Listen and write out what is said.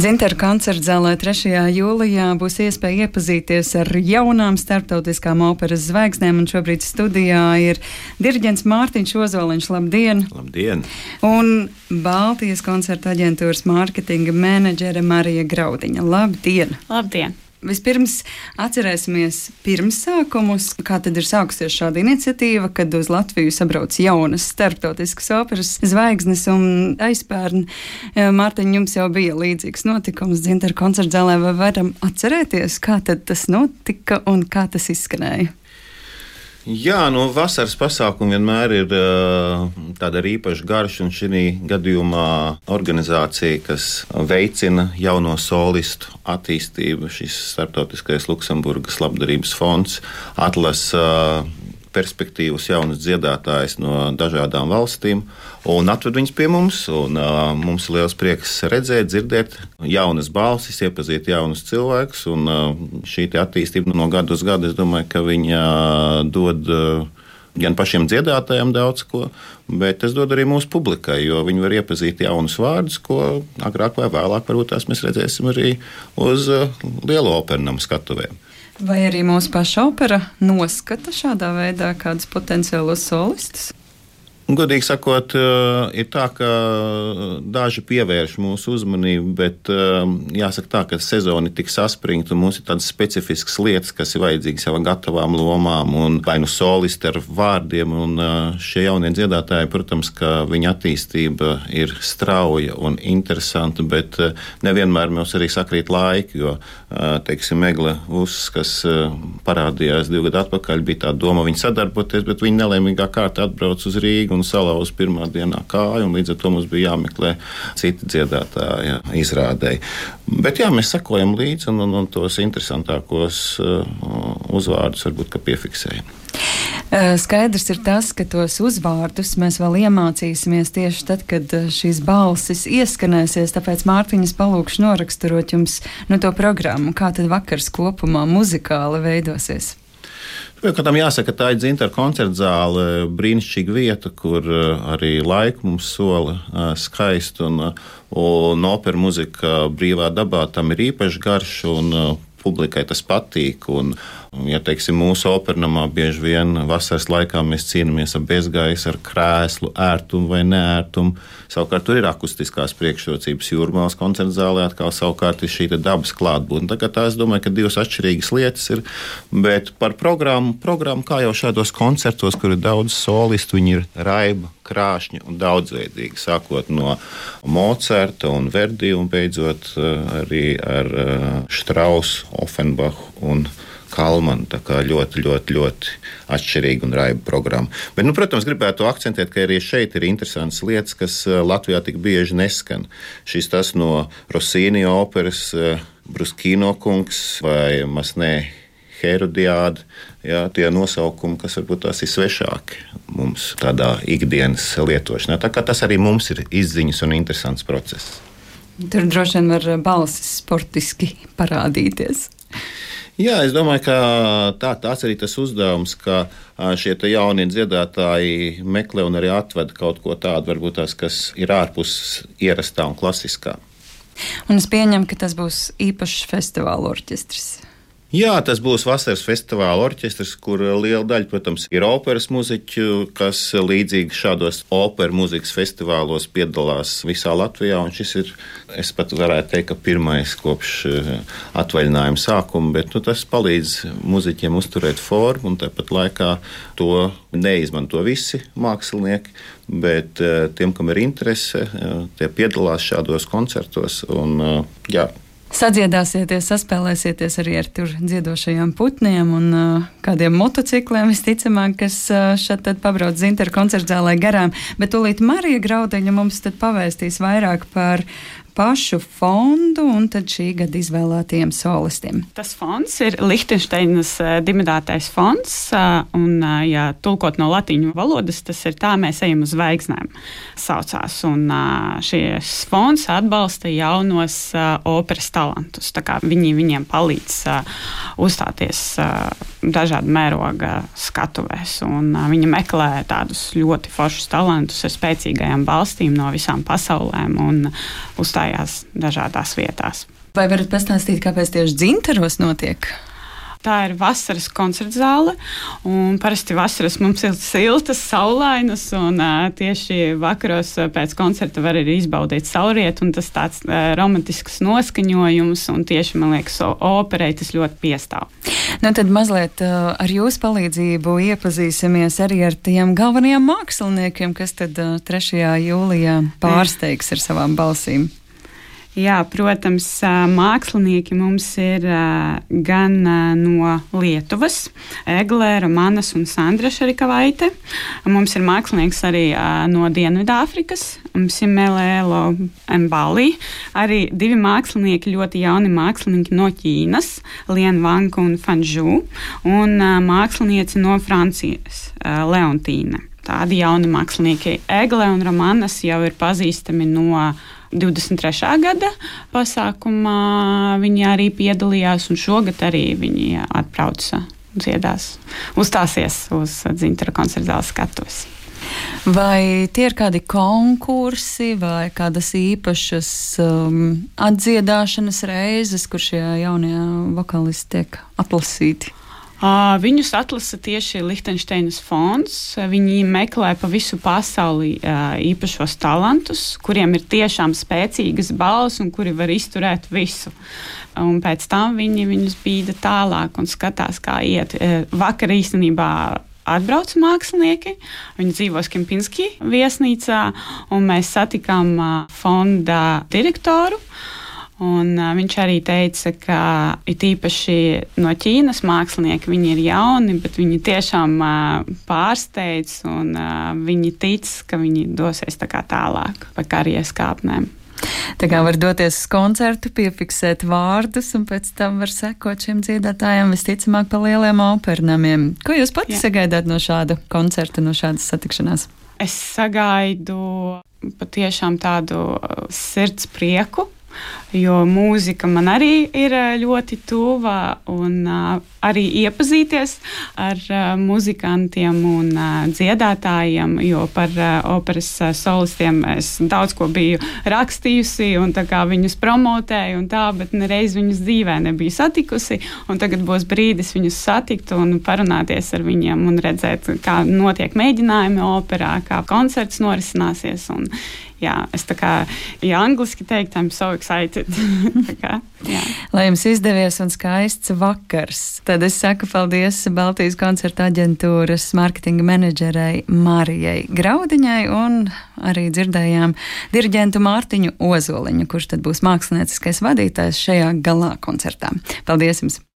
Dzintaru koncertzālē 3. jūlijā būs iespēja iepazīties ar jaunām starptautiskām operas zvaigznēm, un šobrīd studijā ir diriģents Mārtiņš Ozoliņš. Labdien! Labdien! Un Baltijas koncerta aģentūras mārketinga menedžere Marija Graudiņa. Labdien! Labdien! Vispirms atcerēsimies pirmsākumus, kā tad ir sākusies šāda iniciatīva, kad uz Latviju sabrauc jaunas starptautiskas operas zvaigznes, un aizpērn, Mārtiņ, jums jau bija līdzīgs notikums Dzintaru koncertzālē, vai varam atcerēties, kā tad tas notika un kā tas izskanēja? Jā, vasaras pasākumi vienmēr ir tāda īpaša garša, un šī gadījumā organizācija, kas veicina jauno solistu attīstību, šis starptautiskais Luksemburgas labdarības fonds, atlasa perspektīvas jaunas dziedātājas no dažādām valstīm un atved viņus pie mums. Mums ir liels prieks redzēt, dzirdēt jaunas balsis, iepazīt jaunus cilvēkus. Šī attīstība no gada uz gadu, es domāju, ka viņa dod gan pašiem dziedātājiem daudz ko, bet tas dod arī mūsu publikai, jo viņi var iepazīt jaunus vārdus, ko agrāk vai vēlāk varbūt tās mēs redzēsim arī uz lielo opernamu skatuvēm. Vai arī mūsu paša opera noskata šādā veidā kādus potenciālos solistus? Godīgi sakot, ir tā, ka daži pievērš mūsu uzmanību, bet jāsaka tā, ka sezona ir tik saspringta un mums ir tādas specifiskas lietas, kas ir vajadzīgas jau gatavām lomām un vai nu solisti ar vārdiem. Un šie jaunie dziedātāji, protams, ka viņa attīstība ir strauja un interesanta, bet nevienmēr mums arī sakrīt laiki, jo, teiksim, Egle Vuss, kas parādījās 2 gadu atpakaļ, bija tā doma viņa sadarboties, bet viņa nelēmīgā kārtā atbrauc uz Rīgu un salauza pirmā dienā kāju, un līdz ar to mums bija jāmeklē citi dziedātāji izrādēji. Bet jā, mēs sekojam līdzi un tos interesantākos uzvārdus varbūt, ka piefiksējam. Skaidrs ir tas, ka tos uzvārdus mēs vēl iemācīsimies tieši tad, kad šīs balsis ieskanēsies, tāpēc Mārtiņas palūkšu noraksturot jums to programmu, kā tad vakars kopumā muzikāli veidosies. Kādam jāsaka, tā ir Dzintaru koncertzāle, brīnišķīga vieta, kur arī laiku mums sola skaisti, un opera muzika brīvā dabā tam ir īpaši garš, un publikai tas patīk. Un, ja teiksim, mūsu opernamā bieži vien vasaras laikā mēs cīnāmies ar bezgaisu, ar krēslu, ērtumu vai neērtumu. Savukārt tur ir akustiskās priekšrocības. Jūrmālas koncertzālē atkal savukārt ir šī dabas klātbūtne. Tā kā es domāju, ka divas atšķirīgas lietas ir, bet par programmu, kā jau šādos koncertos, kur ir daudz solistu, viņi ir raiba, krāšņi un daudzveidīgi, sākot no Mocarta un Verdi un beidzot arī ar Štrausu, Offenbachu un Kalmanu. Tā kā ļoti, ļoti, ļoti atšķirīga un raiba programma. Bet, protams, gribētu akcentēt, ka arī šeit ir interesantas lietas, kas Latvijā tik bieži neskan. Šis tas no Rossini operas Bruskino kungs vai Masnē Herodiāda, jā, tie nosaukumi, kas varbūt tās ir svešāki mums tādā ikdienas lietošanā. Tā kā tas arī mums ir izziņas un interesants process. Tur droši vien var balsis sportiski parādīties. Jā, es domāju, ka tāds arī tas uzdevums, ka šie jaunie dziedātāji meklē un arī atved kaut ko tādu, varbūt tās, kas ir ārpus ierastā un klasiskā. Un es pieņemu, ka tas būs īpašs festivāla orķestris. Jā, tas būs vasaras festivāla orķestris, kur liela daļa, protams, ir operas muziķu, kas līdzīgi šādos operas muzikas festivālos piedalās visā Latvijā. Un šis ir, es pat varētu teikt, ka pirmais kopš atvaļinājuma sākuma, bet tas palīdz muziķiem uzturēt formu, un tāpat laikā to neizmanto visi mākslinieki, bet tiem, kam ir interese, tie piedalās šādos koncertos. Un, jā. Sadziedāsieties, saspēlēsieties arī ar tur dziedošajiem putniem un kādiem motocikliem, visticamāk, kas šeit tad pabrauc Dzintaru koncertzālē garām. Bet tūlīt Marija Graudiņa mums tad pavēstīs vairāk par pašu fondu un tad šī gada izvēlētajiem solistiem. Tas fonds ir Lihtenšteinas dibinātais fonds, un, ja tulkot no latīņu valodas, tas ir Tā mēs ejam uz zvaigznēm saucās. Un šis fonds atbalsta jaunos operas talantus. Tā kā viņi viņiem palīdz uzstāties dažādu mēroga skatuvēs. Viņa meklē tādus ļoti foršus talantus ar spēcīgajām balstīm no visām pasaulēm un uzstājās dažādās vietās. Vai varat pastāstīt, kāpēc tieši Dzintaros notiek? Tā ir vasaras koncertzāle, un parasti vasaras mums ir siltas, saulainas, un tieši vakaros pēc koncerta var arī izbaudīt saulrietu, un tas tāds romantisks noskaņojums, un tieši, man liekas, operei tas ļoti piestāv. Nu, tad mazliet ar jūsu palīdzību iepazīsimies arī ar tiem galvenajiem māksliniekiem, kas tad 3. jūlijā pārsteigs ar savām balsīm. Jā, protams, mākslinieki mums ir gan no Lietuvas, Egle, Romanas un Sandra Šarikavaite. Mums ir mākslinieks arī no Dienvidāfrikas, Simēlēlo Mbali. Arī 2 mākslinieki, ļoti jauni mākslinieki no Ķīnas, Lien Wang un Fanžu, un mākslinieci no Francijas, Leontīne. Tādi jauni mākslinieki. Egle un Romanas jau ir pazīstami no 23. gada pasākumā. Viņi arī piedalījās, un šogad arī viņi atbrauca, dziedās, uzstāsies uz Dzintara koncertzāles skatuves. Vai tie ir kādi konkursi vai kādas īpašas atdziedāšanas reizes, kur šie jaunie vokālisti tiek atlasīti? Viņus atlasa tieši Lihtenšteinas fonds. Viņi meklē pa visu pasauli īpašos talantus, kuriem ir tiešām spēcīgas balss un kuri var izturēt visu. Un pēc tam viņi viņus bīda tālāk un skatās, kā iet. Vakar īstenībā atbrauc mākslinieki, viņi dzīvo Kempinski viesnīcā, un mēs satikām fonda direktoru. Un viņš arī teica, ka it īpaši no Ķīnas mākslinieki, viņi ir jauni, bet viņi tiešām pārsteidz, un viņi tic, ka viņi dosies tā kā tālāk pa karjeras kāpnēm. Tā kā var doties uz koncertu, piefiksēt vārdus, un pēc tam var sekot šiem dziedātājiem visticamāk pa lieliem opernamiem. Ko jūs pati sagaidāt no šāda koncerta, no šādas satikšanās? Es sagaidu patiešām tādu sirds prieku, jo mūzika man arī ir ļoti tuva, un arī iepazīties ar muzikantiem un dziedātājiem, jo par operas solistiem es daudz ko biju rakstījusi un tā kā viņus promotēju un tā, bet nereiz viņus dzīvē nebiju satikusi, un tagad būs brīdis viņus satikt un parunāties ar viņiem un redzēt, kā notiek mēģinājumi operā, kā koncerts norisināsies, un jā, es tā kā, ja angliski teikt, I'm so excited. Tā kā, jā. Lai jums izdevies un skaists vakars. Tad es saku paldies Baltijas koncerta aģentūras mārketinga menedžerei Marijai Graudiņai un arī dzirdējām diriģentu Mārtiņu Ozoliņu, kurš tad būs mākslinieckais vadītājs šajā galā koncertā. Paldies jums!